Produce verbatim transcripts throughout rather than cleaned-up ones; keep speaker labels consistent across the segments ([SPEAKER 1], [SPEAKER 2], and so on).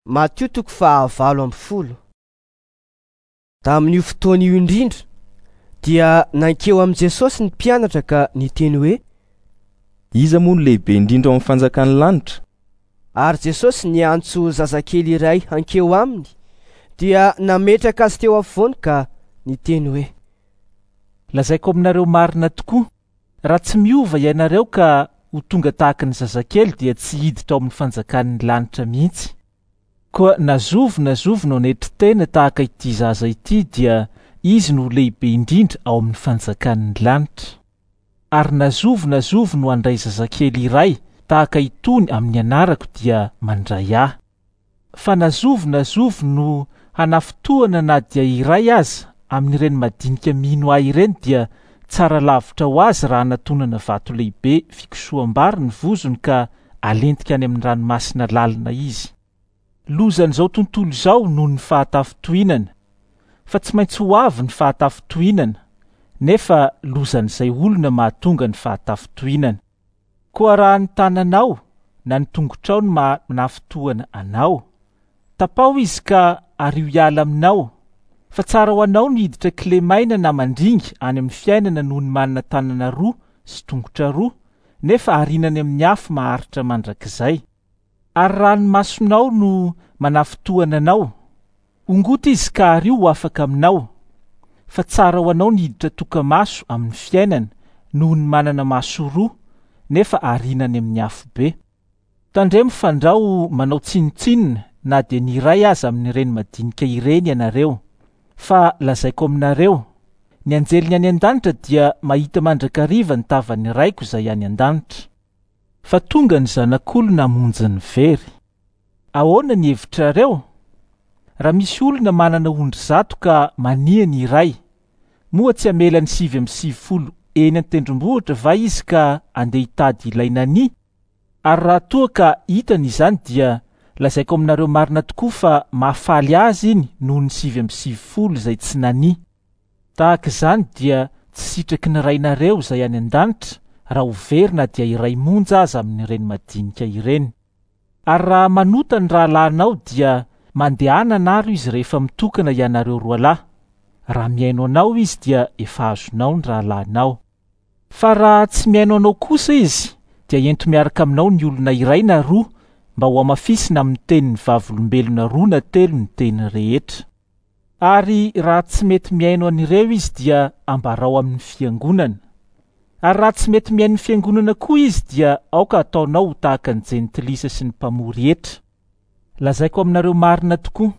[SPEAKER 1] Matio toko fahavalo amby folo. Tamin'io fotoana io indrindra dia nankeo amin'i Jesosy ny mpianatra ka niteny hoe:
[SPEAKER 2] Iza moa no lehibe indrindra ao amin'ny fanjakan'ny lanitra?
[SPEAKER 1] Ary Jesosy niantso zazakely iray hankeo aminy, dia nametraka azy teo afovoany ka niteny hoe:
[SPEAKER 3] Lazaiko aminareo marina tokoa, raha tsy miova ianareo ka ho tonga tahaka ny zazakely dia tsy hiditra ao amin'ny fanjakan'ny lanitra mihitsy. Koa na zovy na zovy no hanetry tena tahaka ity zaza ity dia izy no lehibe indrindra ao amin'ny fanjakan'ny lanitra. Ary na zovy na zovy no handray zazakely iray tahaka itony amin'ny anarako dia mandray ahy. Fa na zovy na zovy no hanafintohina na dia iray aza amin'ireny madinika mino ahy ireny dia tsara lavitra ho azy raha anatonana vato lehibe fikosoham-bary ny vozony ka alentika any amin'ny ranomasina lalina izy. Lozan'izao tontolo izao noho ny fahatafintohinana, fa tsy maintsy ho avy ny fahatafintohinana, nefa lozan'izay olona mahatonga ny fahatafintohinana. Koa raha ny tananao na ny tongotrao no manafintohina anao, tapaho izy ka ario hiala aminao, fa tsara ho anao ny hiditra kilemaina na mandringa any amin'ny fiainana noho ny manana tanana roa sy tongotra roa, nefa ariana any amin'ny afo maharitra mandrakizay. Ary raha ny masonao no manafintohina anao, ongoty izy ka ario ho afaka aminao, fa tsara ho anao ny hiditra toka-maso amin'ny fiainana noho ny manana maso roa, nefa ariana any amin'ny afobe. Tandremo fandrao manao tsinontsinona na dia ny iray aza amin'ireny madinika ireny ianareo, fa lazaiko aminareo, ny anjeliny any an-danitra dia mahita mandrakariva ny tavan'ny Raiko izay any an-danitra. Fa tonga ny zanak'olona hamonjy ny very. Ahoana ny hevitrareo? Raha misy olona manana ondry zato ka mania ny iray, moa tsy hamela ny sivy amby sivifolo eny an-tendrombohitra va izy ka andeha hitady ilay nania? Ary raha toa ka hitany izany dia lazaiko aminareo marina tokoa fa mahafaly azy iny noho ny sivy amby sivifolo izay tsy nania. Tahaka izany dia tsy sitraky ny Rainareo izay any an-danitra raha ho very na dia iray monja aza amin'ireny madinika ireny. Ary raha manota ny rahalahinao dia mandehana anaro izy rehefa mitokana ianareo roa lahy. Raha mihaino anao izy dia efa azonao ny rahalahinao. Fa raha tsy mihaino anao kosa izy dia ento miaraka aminao ny olona iray na roa mba ho hamafisina amin'ny tenin'ny vavolombelona roa na telo ny teny rehetra. Ary raha tsy mety mihaino an'ireo izy dia ambarao amin'ny fiangonana. Ary raha tsy mety mihaino ny fiangonana koa izy dia aoka ataonao ho tahaka ny jentilisa sy ny mpamory hetra. Lazaiko aminareo marina tokoa,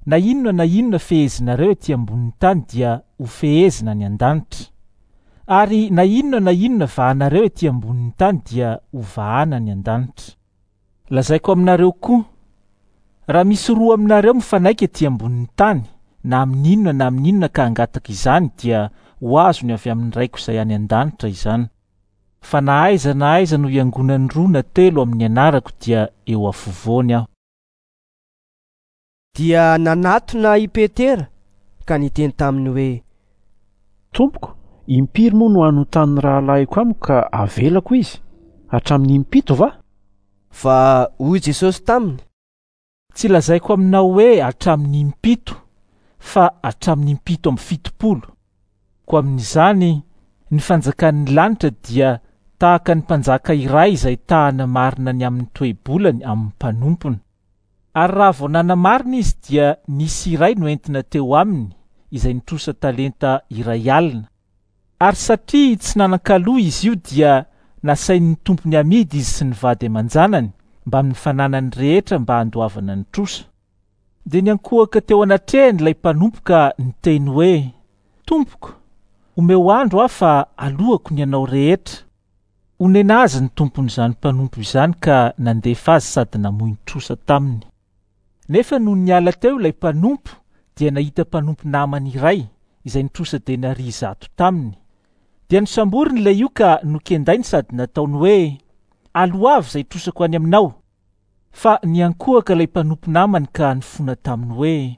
[SPEAKER 3] na inona na inona fehezinareo ety ambonin'ny tany dia ho fehezina any an-danitra. Ary na inona na inona vahanareo ety ambonin'ny tany dia ho vahana any an-danitra. Lazaiko aminareo koa, raha misy roa aminareo mifanaiky ety ambonin'ny tany, na amin'inona na amin'inona ka hangataka izany dia ho azony avy amin'ny Raiko izay any an-danitra izany. Fa na aiza na aiza no hiangonan'ny roa na telo amin'ny anarako dia eo afovoany aho.
[SPEAKER 1] Dia nanatona i Petera ka niteny taminy hoe:
[SPEAKER 4] Tompoko, impiry moa no hanotan'ny rahalahiko amiko ka avelako izy? Hatramin'ny impito va?
[SPEAKER 1] Fa hoy Jesosy taminy:
[SPEAKER 3] Tsy lazaiko aminao hoe hatramin'ny impito, fa hatramin'ny impito amby fitopolo. Koa amin'izany ny fanjakan'ny lanitra dia tahaka ny mpanjaka iray izay tahana marina ny amin'ny toe-bolany amin'ny mpanompony. Ary raha vao nanamarina izy dia nisy iray noentina teo aminy izay nitrosa talenta iray alina. Ary satria tsy nanan-kaloa izy io dia nasain'ny tompony amidy izy sy ny vady aman-janany mbamin'ny fananany rehetra mba handoavana ny trosa. Dia niankohoka teo anatrehany ilay mpanompo ka niteny hoe: Tompoko, omeo andro aho fa alohako ny anao rehetra. Onena azy ny tompon'izany mpanompo izany ka nandefa azy sady namoy ny trosa taminy. Nefa nony niala teo ilay mpanompo dia nahita mpanompo namany iray izay nitrosa denaria zato taminy. Dia nosamboriny ilay io ka nokendainy sady nataony hoe: Aloavy izay trosako any aminao. Fa niankohoka ilay mpanompo namany ka nifona taminy hoe: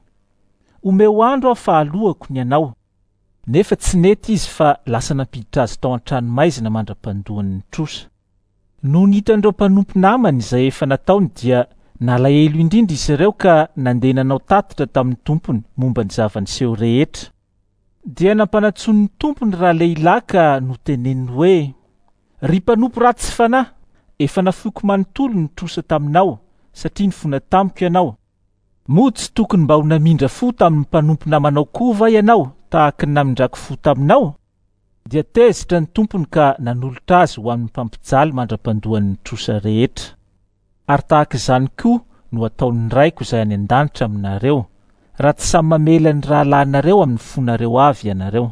[SPEAKER 3] Omeo andro aho fa alohako ny anao. Nefa tsy nety izy fa lasa nampiditra azy tao an-tranomaizina mandra-pandoany ny trosa. Nony hitan'ireo mpanompo namany izay efa nataony dia Nalahelo indrindra izy ireo ka nandeha nanao tatitra tamin'ny tompony momba ny zava-niseho rehetra. Dia nampanantsoin'ny tompony ralehilahy ka noteneniny hoe: "Ry mpanompo ratsy fanahy, efa nafoiko manontolo ny trosa taminao satria nifona tamiko ianao. Moa tsy tokony mba ho namindra fo tamin'ny mpanompo namanao koa va ianao tahaka ny namindrako fo taminao?" Dia tezitra ny tompony ka nanolotra azy ho amin'ny mpampijaly mandra-pandoan'ny trosa rehetra. Ary tahaka izany koa no ataon'ny Raiko izay any an-danitra aminareo, raha tsy samy mamela ny rahalahinareo amin'ny fonareo avy ianareo.